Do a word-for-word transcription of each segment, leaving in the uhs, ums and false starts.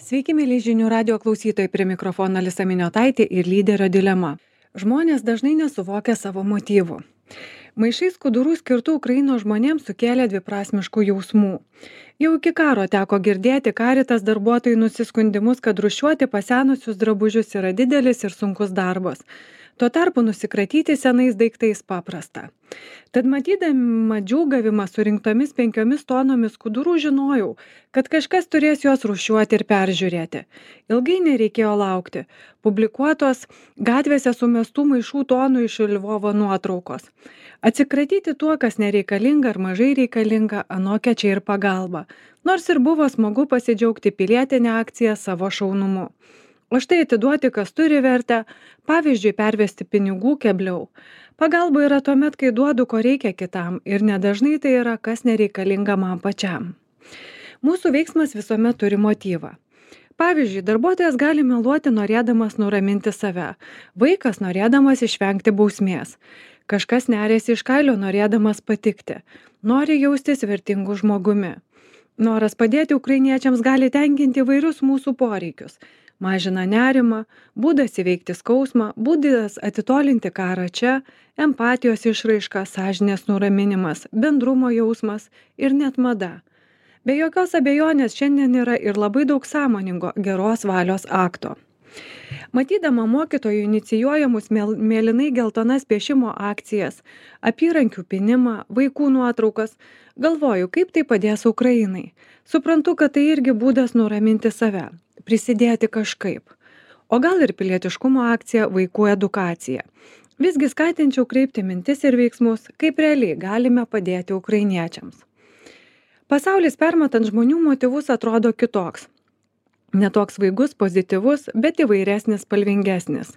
Sveiki, mėly žinių radio klausytojai, prie mikrofono Alisa Miniotaitė ir lyderio dilema. Žmonės dažnai nesuvokia savo motyvų. Maišai skudurų skirtų Ukrainos žmonėms sukėlė dviprasmiškų jausmų. Jau iki karo teko girdėti Caritas darbuotojų nusiskundimus, kad rūšiuoti pasenusius drabužius yra didelis ir sunkus darbas. Tuo tarpu nusikratyti senais daiktais paprasta. Tad matydama džiūgavimą surinktomis penkiomis tonomis skudurų žinojau, kad kažkas turės juos rūšiuoti ir peržiūrėti. Ilgai nereikėjo laukti. Publikuotos gatvėse sumestų maišų tonų iš Lvovo nuotraukos. Atsikratyti tuo, kas nereikalinga ar mažai reikalinga, anokia čia ir pagalba. Nors ir buvo smagu pasidžiaugti pilietinę akciją savo šaunumu. O štai atiduoti, kas turi vertę, pavyzdžiui, pervesti pinigų kebliau. Pagalba yra tuomet, kai duodu, ko reikia kitam, ir nedažnai tai yra, kas nereikalinga man pačiam. Mūsų veiksmas visuomet turi motyvą. Pavyzdžiui, darbuotojas gali meluoti norėdamas nuraminti save, vaikas norėdamas išvengti bausmės, kažkas neriasi iš kailio norėdamas patikti, nori jaustis vertingu žmogumi. Noras padėti ukrainiečiams gali tenkinti įvairius mūsų poreikius. Mažina nerimą, būdas įveikti skausmą, būdas atitolinti karą čia, empatijos išraiška, sąžinės nuraminimas, bendrumo jausmas ir net mada. Be jokios abejonės šiandien yra ir labai daug sąmoningo geros valios akto. Matydama mokytojų inicijuojamus mėlynai geltonas piešimo akcijas, apyrankių pinimą, vaikų nuotraukas, galvoju, kaip tai padės Ukrainai. Suprantu, kad tai irgi būdas nuraminti save, prisidėti kažkaip. O gal ir pilietiškumo akcija vaikų edukacija. Visgi skatinčiau kreipti mintis ir veiksmus, kaip realiai galime padėti ukrainiečiams. Pasaulis permatant žmonių motyvus atrodo kitoks. Netoks vaigus, pozityvus, bet įvairesnis, spalvingesnis.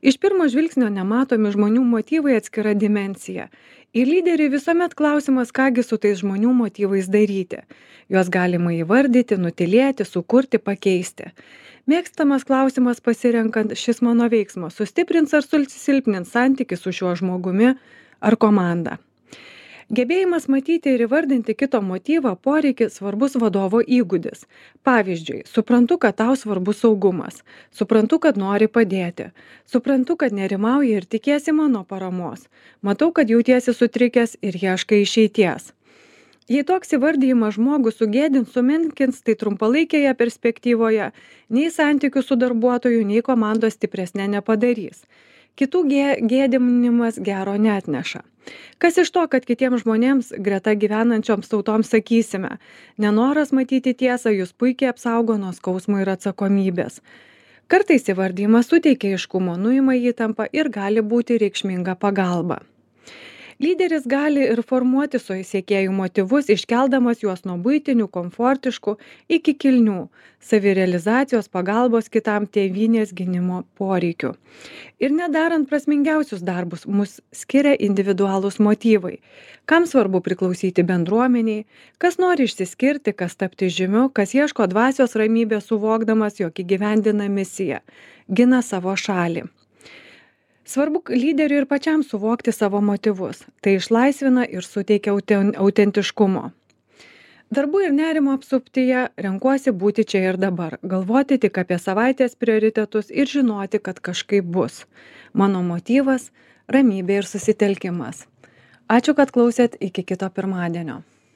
Iš pirmo žvilgsnio nematomi žmonių motyvai atskira dimensija. Ir lyderiai visuomet klausimas, kągi su tais žmonių motyvais daryti. Juos galima įvardyti, nutilėti, sukurti, pakeisti. Mėgstamas klausimas pasirenkant, šis mano veiksmas sustiprins ar susilpnins santykį su šiuo žmogumi ar komanda. Gebėjimas matyti ir įvardinti kito motyvą poreikį svarbus vadovo įgūdis. Pavyzdžiui, suprantu, kad tau svarbus saugumas, suprantu, kad nori padėti, suprantu, kad nerimauji ir tikiesi mano paramos, matau, kad jautiesi sutrikęs ir ieškai išeities. Jei toks įvardijimas žmogų sugėdins, sumenkins, tai trumpalaikėje perspektyvoje nei santykių su darbuotoju, nei komandos stipresnė nepadarys. Kitų gėdinimas gero neatneša. Kas iš to, kad kitiems žmonėms greta gyvenančioms tautoms sakysime, nenoras matyti tiesą jūs puikiai apsaugo nuo skausmo ir atsakomybės. Kartais įvardymas suteikia aiškumo, nuima įtampą ir gali būti reikšminga pagalba. Lyderis gali ir formuoti su siekėjų motyvus, iškeldamas juos nuo buitinių, komfortiškų iki kilnių, savirealizacijos, pagalbos kitam, tėvynės gynimo poreikių. Ir nedarant prasmingiausius darbus, mus skiria individualūs motyvai. Kam svarbu priklausyti bendruomeniai, kas nori išsiskirti, kas tapti žymiu, kas ieško dvasios ramybės suvokdamas, jog įgyvendina misiją, gina savo šalį. Svarbu lyderiui ir pačiam suvokti savo motyvus. Tai išlaisvina ir suteikia autentiškumo. Darbų ir nerimo apsuptyje renkuosi būti čia ir dabar, galvoti tik apie savaitės prioritetus ir žinoti, kad kažkaip bus. Mano motyvas – ramybė ir susitelkimas. Ačiū, kad klausėt, iki kito pirmadienio.